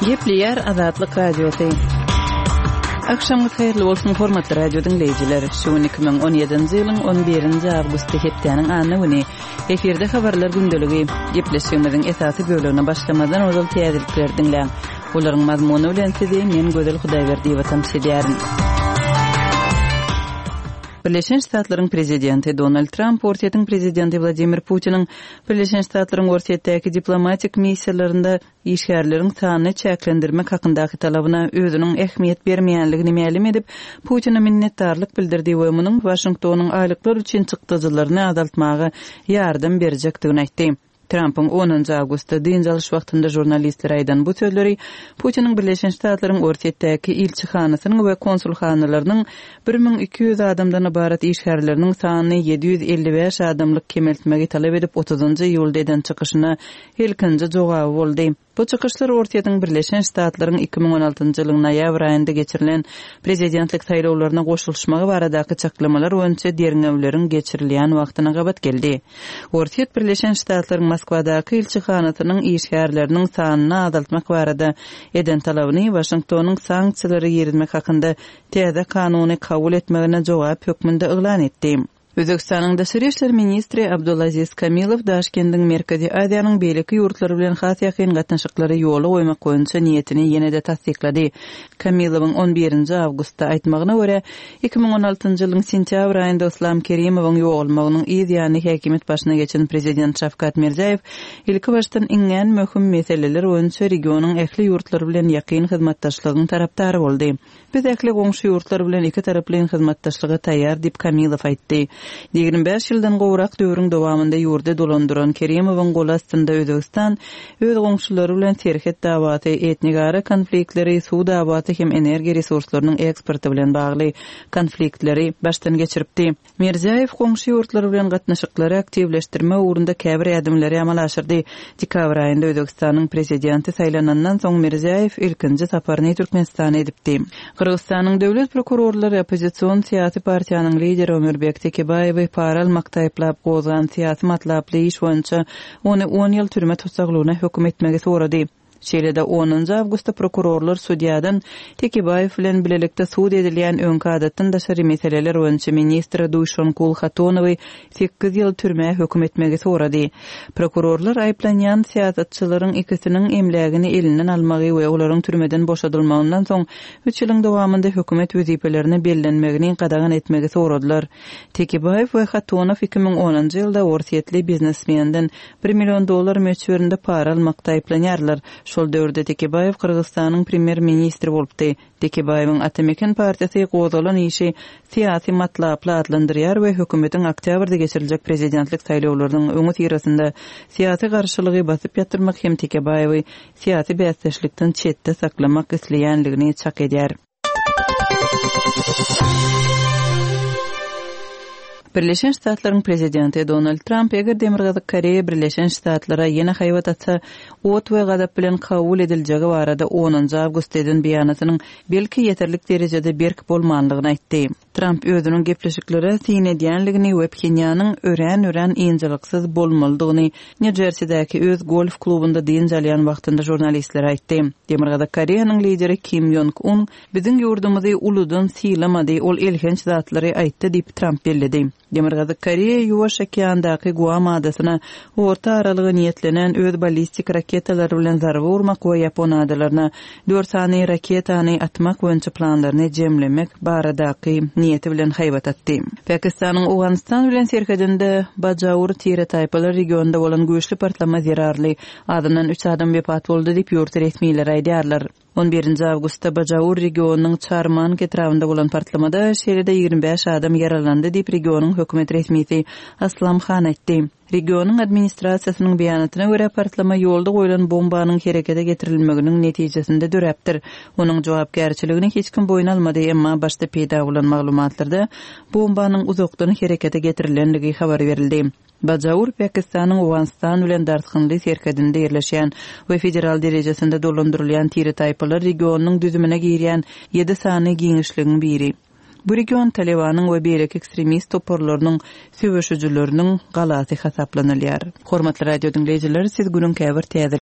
Gepleýär Azatlyk Radiosy. Agşamyňyz haýyrly bolsun, hormatly radio diňleýjiler! Şu gün 2017-nji ýylyň 11-nji awgusty hepdäniň anna güni. Efirde habarlar gündeligi. Gepleşigimiziň esasy bölegine başlamazdan ozal täzelikleri diňläň. Olaryň mazmuny bilen sizi men Gözel Hudaýberdiýewa tanyş edýärin. Birleşen Ştatlaryň prezidenti Donald Tramp Orsýetiň prezidenti Wladimir Putiniň Birleşen Ştatlaryň Orsýetdäki diplomatik missiýalarynda işgärleriň sanyny çäklendirmek hakyndaky talabyna özüniň ähmiýet bermeýänligini mälim edip, Putine minnetdarlyk bildirdi we munuň Waşingtonyň aýlyklar üçin çykdajylaryny azaltmaga ýardam berjekdigini aýtdy. Trampyň onunjy awgustda dynç alyş wagtynda žurnalistlere aýdan bu sözleri Putiniň Birleşen Ştatlaryň Orsýetdäki ilçihanasynyň we konsulhanalarynyň 1200 adamdan ybarat işgärleriniň sanyny 755 adamlyk kemeltmegi talap edip otuzynjy iýulda eden çykyşyna ilkinji jogaby boldy. Bu çykyşlar Orsýetiň Birleşen Ştatlaryň 2016-njy ýylyň noýabr aýynda geçirilen prezidentlik saýlawlaryna goşulyşmagy baradaky çaklamalar boýunça derňewleriň geçirilýän wagtyna gabat geldi. Orsýet Birleşen Ştatlaryň Moskwadaky ilçihanasynyň işgärleriniň sanyny azaltmak barada eden talabyny Waşingtonyň sanksiýalary girizmek hakynda täze kanuny kabul etmegine jogap hökmünde yglan etdi. Özbegistanyň daşary işler ministri Abdulaziz Kamilow Daşkendiň Merkezi Aziýanyň beýleki ýurtlary bilen has ýakyn gatnaşyklary ýola goýmak boýunça niýetini ýene-de tassyklady. Kamilowyň on birinji awgustda aýtmagyna görä, 2016-njy ýylyň sentýabr aýynda Yslam Kerimowyň ýogalmagynyň yz ýany häkimiýet başyna geçen prezident Şawkat Mirziýaýew ilkibaşdan iňňän möhüm meseleler boýunça regionyň ähli ýurtlary bilen ýakyn hyzmatdaşlygyň tarapdary boldy. Biz ähli goňşy ýurtlar bilen ikitaraplaýyn hyzmatdaşlyga taýýar diýip, Kamilow aýtdy. 25 ýyldan gowrak döwrüň dowamynda ýurdy dolandyran Kerimowyň goly astynda Özbegistan öz goňşulary bilen serhet dawasy, etnigara konfliktleri, suw dawasy hem energiýa resurslarynyň eksporty bilen bagly konfliktleri başdan geçiripdi. Mirziýaýew goňşy ýurtlar bilen gatnaşyklary aktiwleşdirmek ugrunda käbir ädimleri amala aşyrdy. Dekabr aýynda Özbegistanyň Prezidenti saýlanandan soň Mirziýaýew ilkinji saparyny Türkmenistana edipdi. Gyrgyzystanyň döwlet prokurorlary oppozision syýasy partiýanyň lideri Ömürbek Tekebaýewi para almakda aýyplap gozgan syýasy matlaply iş boýunça ony on ýyl türme tussaglygyna höküm etmegi sorady. Şeýle-de, onunjy awgustda prokurorlar sudýadan Tekebaýew bilen bilelikde sud edilýän öňki adatdan daşary meseleler boýunça ministr Duýşonkul Hatonowy sekiz ýyl türmä höküm etmegi sorady. Prokurorlar aýyplanýan syýasatçylaryň ikisiniň emlägini elinden almagy we olaryň türmeden boşadylmagyndan soň üç ýylyň dowamynda hökümet wezipelerine bellenmegini gadagan etmegi soradylar. Tekebaýew we Hatonow 2010-njy ýylda orsýetli biznesmenden Bir million dollar möçberinde para almakda aýyplanýarlar. Şol döwürde Tekebaýew Gyrgyzystanyň premýer-ministri bolupdy. Tekebaýewiň Ata Meken partiýasy gozgalan işi syýasy matlaply atlandyrýar we hökümetiň oktýabrda geçiriljek prezidentlik saýlawlarynyň öňüsyrasynda syýasy garşylygy basyp ýatyrmak hem Tekebaýewi syýasy bäsdeşlikden çetde saklamak isleýänligini çak edýär. Birleşen Ştatlaryň prezidenti Donald Tramp eger Demirgazyk Koreýa Birleşen Ştatlara ýene haýbat atsa, ot we gazap bilen kabul ediljegi barada onunjy awgustda eden beýanatynyň belki ýeterlik derejede berk bolmanlygyny aýtdy. Tramp özüniň gepleşiklere syn edýänligini we Phenýanyň örän-örän ynjalyksyz bolmalydygyny Nýu-Jersidäki öz golf klubunda dynç alýan wagtynda žurnalistlere aýtdy. Demirgazyk Koreýanyň lideri Kim Ýong Un biziň ýurdumyzy uludan sylamady, ol elhenç zatlary aýtdy diýip, Tramp belledi. Demirgazyk Koreýa Ýuwaş okeandaky Guam adasyna orta aralyga niýetlenen öz ballistik raketalary bilen zarba urmak we ýapon adalaryna dört sany raketany atmak boýunça planlaryny jemlemek baradaky niýeti bilen haýbat atdy. Pakistanyň Owganystan bilen serhedinde Bajaur tire-taýpalar regionynda bolan güýçli partlama zerarly azyndan üç adam wepat boldy diýip, ýurt resmileri aýdýarlar. On birinji awgustda Bajaur regionynyň Çarmang etrabynda bolan partlamada şeýle-de 25 adam ýaralandy diýip, regionyň hökümet resmisi Aslam Han aýtdy. Regionyň administrasiýasynyň beýanatyna görä, partlama ýolda goýlan bombanyň herekete getirilmeginiň netijesinde döräpdir. Onuň jogapkärçiligini hiç kim boýun almady, emma başda peýda bolan maglumatlarda bombanyň uzakdan herekete getirilenligi habar berildi. Bajaur Pakistanyň Owganystan bilen dartgynly serhedinde ýerleşýän we federal derejesinde dolandyrylýan tire-taýpalar regionynyň düzümine girýän ýedi sany giňişligiň biri. Bu region Talybanyň we beýleki ekstremist toparlarynyň söweşijileriniň galasy hasaplanylýar. Hormatly radio diňleýjiler, siz günüň käbir täze.